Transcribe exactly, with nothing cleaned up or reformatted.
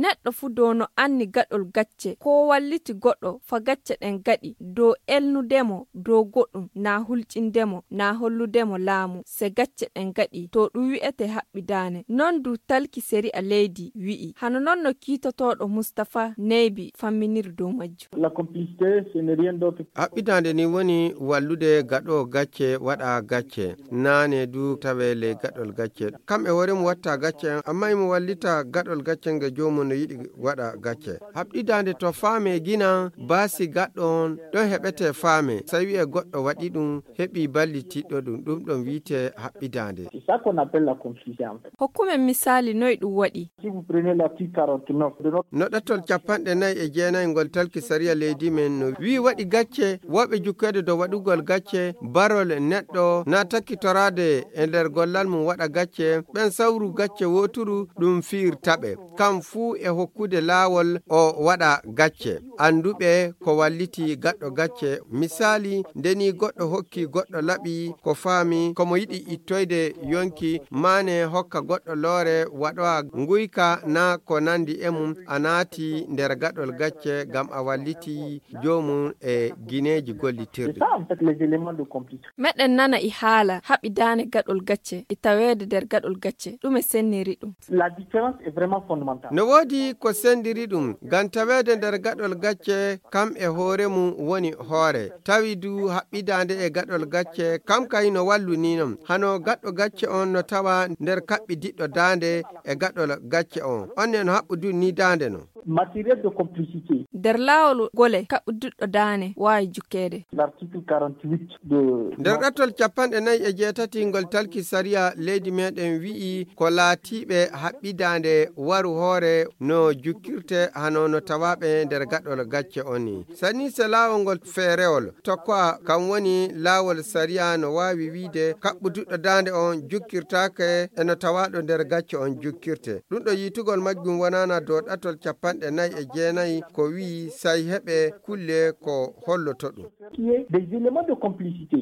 Neɗɗo fuu dow no anni gaɗol gacce, koo walliti goɗɗo fa gacce ɗen gaɗi, dow elnude mo dow goɗɗum, naa hulƴinde mo, naa hollude mo laamu, se gacce ɗen gaɗi, to ɗum wi'etee haɓɓidaane. Non du talki sariya leydi wi'i. Hano non no kiitotooɗo Mustapha Neybi famminiri dow majjum. Haɓɓidaande ni woni wallude gaɗoowo gacce waɗa gacce, naane du tawee ley gaɗol gacce. Kam e hoore mum watta gacce, amma imo wallita gaɗol gacce nge joomum no yiɗi waɗa gacce. Haɓɓidaande to faame gina baasi gaɗɗo on, ɗon heɓetee faame. Sai wi'ee goɗɗo waɗi ɗum, heɓi ballitiɗɗo ɗum, ɗum ɗon wi'etee haɓɓidaande. Hokkumen misaali noy ɗum waɗi. No ɗatol capanɗe nayi e jeenayi ngol talki sariya leydi men no wi'i waɗi gacce, wooɓe jukkeede dow waɗugol gacce, barol neɗɗo na takkitoraade e nder gollal mum waɗa gacce, ɓen sawru gacce wooturu ɗum fiirta ɓe. Kam fuu e hokkude laawol o waɗa gacce. Annduɓe ko walliti gaɗɗo gacce, misaali, nde ni goɗɗo hokki goɗɗo laɓi ko faami ko mo yiɗi ittoyde yonki, maane hokka goɗɗo loore waɗowa nguyka naa ko nandi e mum, a naati nder gaɗol gacce ngam a walliti joomum e gineeji gollitirɗi. Meɗen nana e haala haɓidaane gaɗol gacce e taweede nder gaɗol gacce, ɗume senniri ɗum? No woodi ko senndiri ɗum, ngam taweede nder gaɗol gacce kam e hoore mum woni hoore, tawi du haɓɓidaande e gaɗol gacce kam kay no wallu ni non. Hano gaɗɗo gacce on no tawa nder kaɓɓi diɗɗo daande e gaɗol gacce on, on ne no haɓɓu du ni daande non. Nder laawol gole kaɓɓi diɗɗo daande waawi jukkeede. Nder ɗattol capanɗe nayi e jeetati ngol talki sariya leydi meɗen wi'i ko laatiiɓe haɓɓidaande waru hoore no jukkirte hano no tawaaɓe nder gaɗol gacce on ni. Sani se laawol ngol feerewol tokkowa kam woni laawol sariya no waawi wi'ide kaɓɓu diɗɗo daande on jukkirtaake e no tawaaɗo nder gacce on jukkirte. Ɗum ɗo yiitugol majjum wonana dow ɗattol capanɗe nayi e jeenayi ko wi'i sai heɓe kulle ko holloto ɗum.